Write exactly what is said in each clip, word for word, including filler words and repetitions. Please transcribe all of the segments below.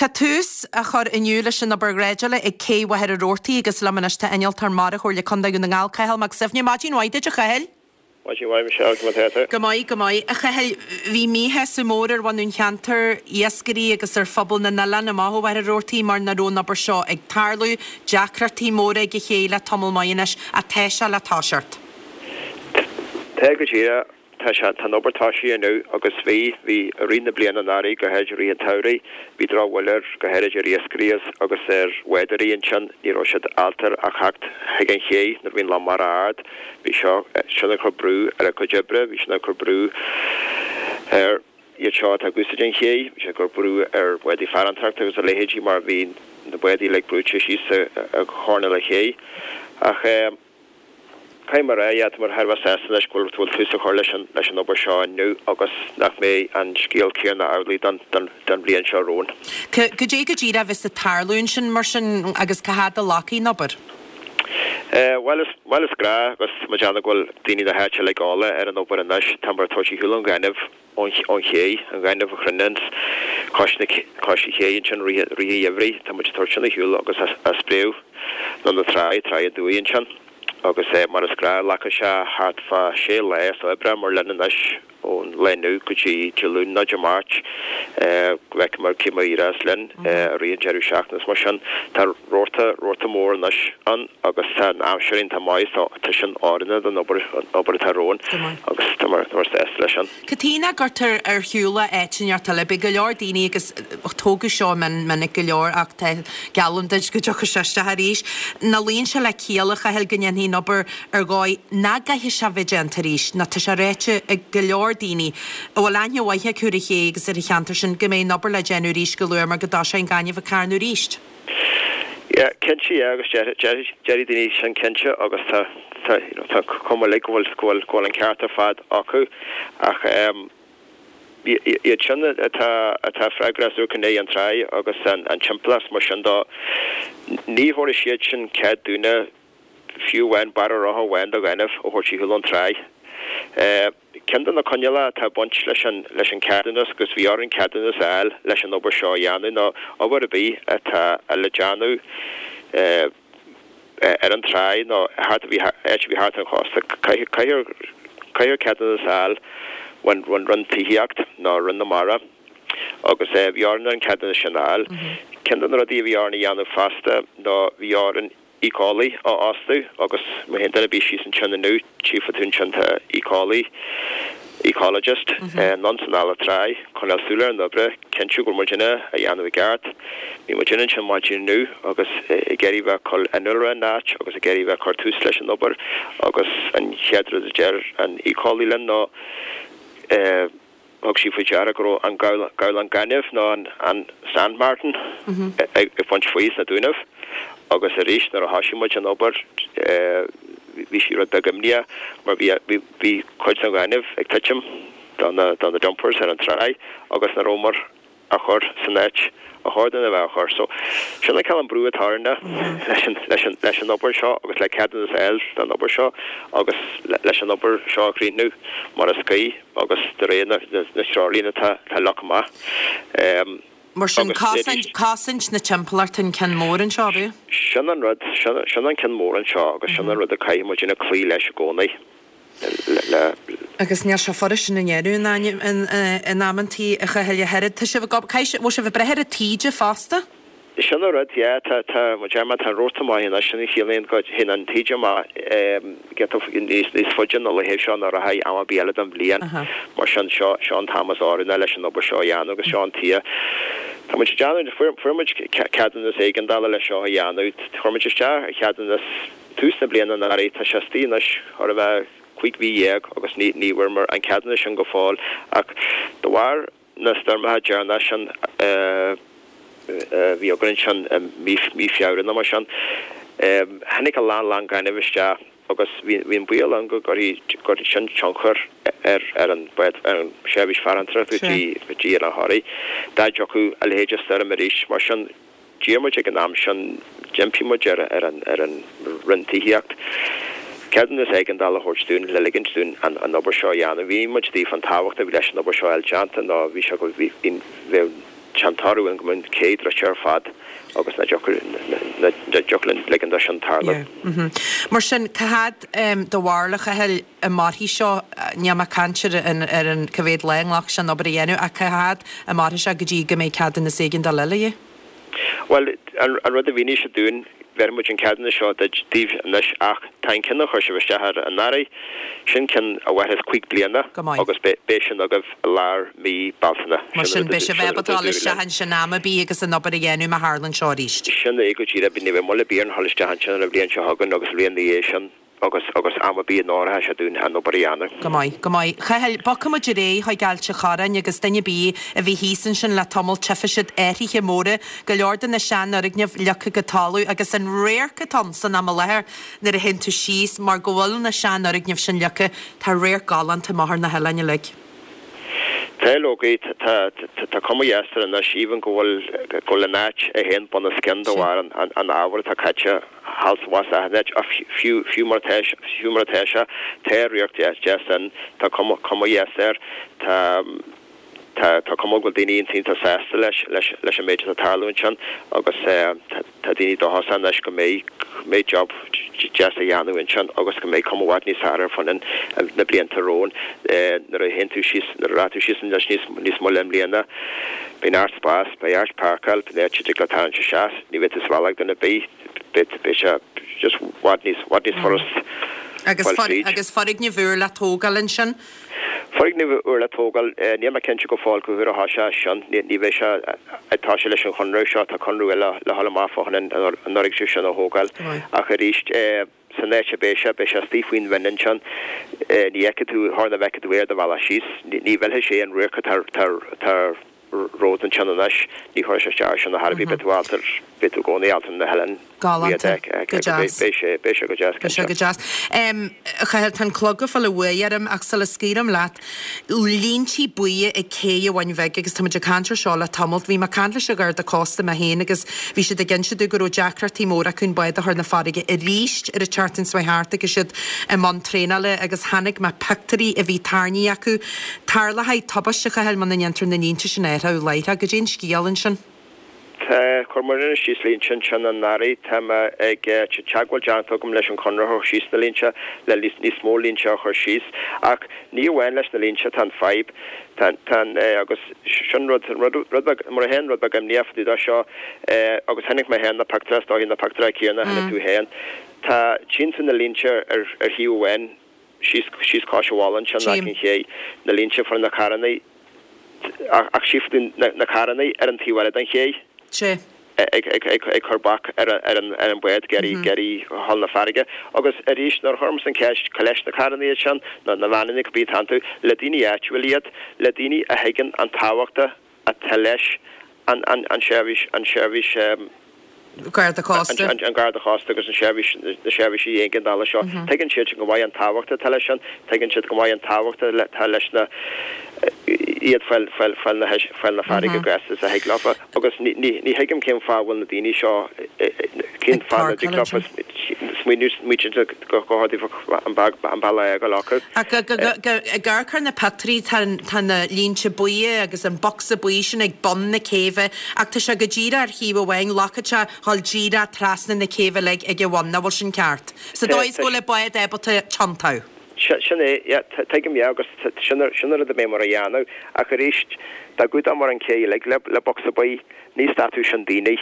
Tá tús á chur inniu leis an obair dhreideála ag Cé Mhachaire Rabhartaigh agus liom anois tá Innealtóir Mara Chomhairle Contae Dhún na nGall, Cathal Mac Suibhne. Maidin mhaith duit, a Chathail. Maidin mhaith, Michelle, conas atá tú? Go maith, go maith. A Chathail, bhí míshásamh mór ar bhunadh an cheantair, iascairí agus ar phobal na n-oileán amach ó Mhachaire Rabhartaigh mar nach raibh an obair seo ag tarlú, deacrachtaí móra ag an ché le tamall maith anois, ach tá sé le toiseacht. Tá go díreach, tá sé, tá an obair tosaithe inniu agus bhí, bhí i rith na bliana anuraidh, go háirid i rith an tsamhraidh, bhí drochbhail air, go háirid ar iascairí agus ar bhádóirí ansin, ní raibh siad ábalta a theacht chuig an ché nuair a bhí an lán mara ard. Bhí seo, sin ag cur brú ar a gcuid oibre, bhí sin ag cur brú ar iad seo atá ag úsáid an ché, bhí sé ag cur brú ar bhádaí farantóireachta agus a leithéidí mar bhí na bádaí uilig brúite síos ag choirnéal an ché. Ach eh. Caithfidh mé a rá, yeah, tá muid thar a bheith sásta anois go bhfuil tús á chur leis an leis an obair seo inniu agus nach mbeidh an scéal céanna amhlaidh don don don bhliain seo romhainn. Cad é go díreach a bheas ag tarlú ansin mar sin agus cá fhad a ghlacfaidh an obair? Eh, bhuel is bhuel is gnách agus tá muid ag déanamh go bhfuil daoine na háite uilig eolach ar an obair anois, tá muid ag tabhairt ar shiúl an ghainimh ón ón ché, an ghainimh a chruinníonns cois na cois an ché ansin rith rith an gheimhridh, tá muid ag tabhairt sin ar shiúl agus á spréadh chun na trá, Trá an Dumhaigh ansin. Agus mar is gnáth, glacfaidh sé thart fá sé lá oibre mar linn anois ón lá inniu go dtí Dé Luain nó Dé Máirt go bhfeicfimid cé mar a éireos linn i rith an deireadh seachtaine is mar sin. Tá rabharta, rabharta mór anois ann agus tá an aimsir iontach maith so tá sin oiriúnach don obair, an obair atá romhainn agus tá muid sásta leis sin. Cad chuige nach gcuirtear ar shiúl é áit inteacht eile? Beidh go leor daoine agus tógadh seo mion minic go leor ach tá geallaim duit go dtiocfaidh sé isteach arís. Nach luíonn sé le ciall, a Chathail, go ndéanfaí an obair ar dhóigh nach gcaithfidh sé bheith déanta arís, nó tá sé ráite ag go leor daoine a bhfuil aithne mhaith acu ar an ché agus ar an cheantar sin go mbeidh an obair le déanamh arís go luath mar go dtoiseoidh an gaineamh ag carnadh arís. Yeah, cinnte, yeah, agus déarfaidh daoine sin cinnte agus tá tá you know tá cuma uilig go bhfuil go bhfuil go bhfuil an ceart ar fad acu ach ehm iad sin atá atá freagrach as Iúr Cinn an Tráigh agus an an timpeallacht mar sin dó ní thabharfaidh siad sin cead dúinne fiú amháin barra rotha amháin de ghaineamh a thabhairt ar shiúl ón tráigh. Ceann de na coinníollacha atá ag baint leis an leis an ceadúnas agus bhí orainn ceadúnas a fháil leis an obair seo a dhéanamh nó obair ar bith atá le déanamh ar an tráigh nó thart a bhí áit a bhí thart ar an chósta caithfear caithfear ceadúnas a fháil ón ón Roinn Tithíocht nó Roinn na Mara agus bhí orainn an ceadúnas sin a fháil. Ceann de na rudaí a bhí orainn a dhéanamh fosta nó bhí orainn éiceolaí a fhostú agus má théann duine ar bith síos ansin inniu tchífidh tú ansin tá éiceolaí, ecologist, anonn is anall an tráigh, coinneáil súil ar an obair, cinntiú go bhfuil muidinne á dhéanamh i gceart. Bhí muidinne ansin maidin inniu agus ag iarraidh bheith ag cur innealra in áit agus ag iarraidh bheith ag cur tús leis an obair agus an chéad rud a deir an éiceolaí linn ná eh, Thug sí faoi deara go raibh an gabhlán gainimh nó an sand martin ag baint faoi sna dúnaibh agus arís nuair a thoisigh muid an obair bhí sí rud beag imníoch mar bhí bhí cuid den ghaineamh ag titim do na do na dumpers ar an tráigh agus nach rabhamar á chur san áit a chóir dúinn a bheith á chur. So, sin an cineál brú atá orainne leis an, leis an, leis an obair seo agus le ceadúnas a fháil don obair seo agus leis an obair seo a chríochnú mar is cuí agus de réir na, na, na treoirlíne atá, atá leagtha amach. Um, Mar sin, cosaint, cosaint na timpeallachta an ceann mór anseo, ab ea? Sin an rud, sin, sin an ceann mór anseo agus sin an rud a caithfidh muidinne cloí leis i gcónaí. le. Agus níl sé furast sin a dhéanamh in amantaí, a Chathail, ach oiread. Tá sibh ag obair, caithfidh, bhfuil sibh ag breith ar an taoide fosta? Sin an rud, yeah, tá, tá, mar deir mé, tá an rabharta maith anois, sin a chiallaíonn go dtéann an taoide amach giota níos, níos faide na laethe seo ná rachaidh am ar bith eile den bhliain. Mar sin, seo, seo an t-am is oiriúnaí leis an obair seo a dhéanamh agus seo an tuige. Tá muid ag déanamh, fuair, fuair muid ceadúnas éigeandála leis seo a dhéanamh, chuir muid isteach ar cheadúnas, Tús na bliana anuraidh, tá sé istigh anois chóir a bheith cúig mhí dhéag agus ní ní bhfuaireamar an ceadúnas sin go fóill ach de bharr na stoirmeacha deireanacha sin a bhí againn ansin i mí mí Feabhra nó mar sin, tháinig a lán lán gainimh isteach agus bhí bhí an baol ann go gcuirfidh gcuirfidh sin tionchar ar ar an ar an seirbhís farantóireachta go dtí go dtí Oileán Thoraí dá dtiocfadh a leithéid de stoirm arís. Mar sin. D'iarr muid ag an am sin, d'impigh muid ar ar an ar an Roinn Tithíocht ceadúnas éigeandála a thabhairt dúinn le ligint dúinn an an obair seo a dhéanamh. Bhí muid daofa an tábhacht a bhí leis an obair seo a fháil déanta nó bhí sé go bhí bhí bheadh Tá an toradh ann go mbeidh an cé druidte ar fad agus ná dtiocfadh linn ligean dó sin tarlú. Mar sin, cá fhad do bharúil, a Chathail, a mairfidh seo, níl mé ag caint ar an ar an cá mhéad lá a nglacfaidh sé an obair a dhéanamh ach cá fhad a mairfidh sé go dtí go mbeidh ceadúnas éigeandála eile de dhíth? Bhuel, an rud a mhínigh siad dúinn, bheir muid an ceadúnas seo daoibh anois ach tá an ceann a chuir sibh isteach air anuraidh, sin ceann a mhairfeas cúig bliana agus beidh sin agaibh i lár mí Bealtaine. Mar sin, beidh sibh ábalta dul isteach ansin am ar bith agus an obair a dhéanamh má tharlaíonn seo arís. Sin é go díreach, ní bheidh moill ar bith orainn dhul isteach ansin an bhliain seo chugainn agus an bhliain ina dhiaidh sin. agus agus am ar bith a n-oirfeadh sé dúinn an obair a dhéanamh. Go maith, go maith. Chathail, bogfaidh muid ar aghaidh chuig Ailt an Chorráin agus duine ar bith a bhí thíos ansin le tamall tchífidh siad athruithe móra, go leor de na seanfhoirgnimh leagtha go talamh agus an radharc atá ann san am i láthair nuair a théann tú síos mar go bhfuil na seanfhoirgnimh sin leagtha, tá radharc galánta amach ar na hoileáin uilig. Tá, leoga, tá, tá cuma dheas air anois, even go bhfuil, go bhfuil an áit é féin bunoscionn de bharr an, an ábhair atá caite thall is abhus achan áit, ach fiú, fiú mar atá, fiú mar atá sé, tá radharc deas, deas ann, tá cuma, cuma dheas air, tá, tá, tá cuma go bhfuil daoine iontach sásta leis, leis, leis an méid atá ag tarlú ansin agus tá, tá daoine dóchasach anois go mbeidh, go mbeidh job deas á dhéanamh ansin agus go mbeidh cuma i bhfad níos fearr air fá choinne na blianta romhainn. Nuair a théann tú síos, nuair a rachaidh tú síos anois níos, níos moille i mbliana, beidh neart spás, beidh áit páirceáil, beidh áit a dtig leat tarraingt isteach, ní bheidh tú sa bhealach ag duine ar bith, beidh, beidh sé just i bhfad níos, i bhfad níos furast Agus fáil fríd. Agus foirgneamh úr le tógáil ansin? Foirgneamh úr le tógáil, níl mé cinnte go fóill cá huair a thoiseoidh sin. Ní bheidh sé ag toiseacht leis an chonradh seo, tá conradh eile le dhul amach fá choinne an fhoirgneamh sin a thógáil. Ach arís, san áit a mbeidh sé, beidh sé istigh faoin bhinn ansin, ní fheicfidh tú, char na bhfeicfidh tú é ar do bhealach síos. Ní mhillfidh sé an radharc atá romhat ansin anois, ní chuirfidh sé isteach air sin ar chor ar bith, beidh tú ábalta, beidh tú i gcónaí ábalta na hoileáin. Galánta. Go deas. Beidh sé, beidh sé go deas, Beidh sé go deas. A Chathail, tá an clog ag fáil an bhuaidh orm ach sula scaoilim leat, línte buí ag Cé an Bhun Bhig agus tá muid ag caint ar seo le tamalt. Bhí mé ag caint leis an Gharda Cósta mé féin agus bhí siad ag inse domh go raibh deacrachtaí móra acu an bád a chur 'na farraige arís ar an tseachtain seo thart agus iad i mbun traenála agus chonaic mé pictiúirí a bhí tarraingthe acu. Tarlóidh tubaiste, a Chathail, muna ndéantar na línte sin a athrú láithreach. Goidé an scéal ansin? Tá, chuir muid síos línte ansin anuraidh. Tá mé ag, tá teagmháil déanta agam leis an chonraitheoir síos na línte, le níos mó línte a chur síos. Ach ní amháin leis na línte atá an fadhb. Tá, tá an, agus sin rud, rud, rud beag, mar a théann rud beag imníoch fá dtaobh de seo, agus chonaic mé féin na pictiúir, is dóichí na pictiúir céanna a chonaic tú féin. Tá, tchíonn tú na línte ar, ar thaobh amháin síos, síos cois an bhaile ansin, Tchím. aice an ché, na línte fá na carrannaí, Ach tchífidh tú na carrannaí ar an taobh eile den ché ag cur bac ar an bhád ag iarraidh dhul 'na farraige. Agus arís, nuair a chuirimse an cheist, cá leis na carrannaí iad sin, nó na veaineanna, cibé atá iontu, le daoine áitiúil iad, le daoine a thuigeann an tábhacht atá leis an tseirbhís, an tseirbhís. Garda Cósta. An Garda Cósta agus an seirbhís, na seirbhísí éigeandála seo. Tuigeann siad sin go maith an tábhacht atá leis sin, tuigeann siad go maith an tábhacht atá leis na, iad fáil, fáil, fáil na, fáil na farraige chomh gasta is a thig leofa. Agus ní, ní, ní thuigim cén fáth a bhfuil na daoine seo, cén Ag fáth nach dtig páirceáil leofa ansin. smaoineamh, smaointiú go, go hard an beag, an bealach a fhágáil acu. Ach go, go, go, go, ag amharc ar na pictiúirí tá, tá na línte buí agus an bocsa buí sin ag bun na céibhe ach tá sé go díreach ar thaobh amháin, glacfaidh sé dhul díreach trasna na céibhe uilig ag a bhun, nach bhfuil sin ceart? Sa dóigh is go bhfuil an bád ábalta tiontú. Sin é, yeah, tuigim, yeah, agus sin sin an rud a bheidh muid a dhéanamh, ach arís, dá gcumhdódh muid an cé uilig le le bocsa buí, ní stadfadh sin daoine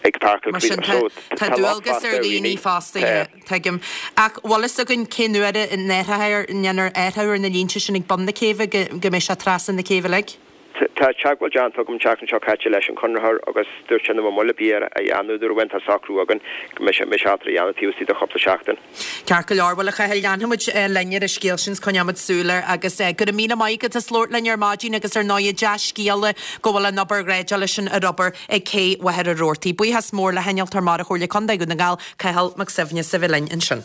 ag páirceáil Mar sin tá so tá tá locht dualgas fosta ar ar dhaoine dhaoine. fosta, yeah, tuigim. Ach bhfuil fhios againn cén uair a ndéanfar athrú ar na línte sin ag bun na céibhe go go mbeidh sé trasna na céibhe uilig? Tá teagmháil déanta agam an tseachtain seo caite leis an chonraitheoir agus dúirt sé nach mbeadh moill ar bith air a dhéanamh nuair a bheidh an socrú againn go mbeidh sé mbeidh sé ábalta a dhéanamh taobh istigh de chúpla seachtain. Ceart go leor, bhuel a Chathail, leanfaidh muid linn ar an scéal sin 's coinneoidh muid súil air agus go raibh míle maith agat as labhairt linn ar maidin agus ar ndóigh dea-scéala go bhfuil an obair dhreideála sin ar obair ag Cé Mhachaire Rabhartaigh. Buíochas mór le hInnealtóir Mara Chomhairle Contae Dhún na nGall, Cathal Mac Suibhne as a bheith linn ansin.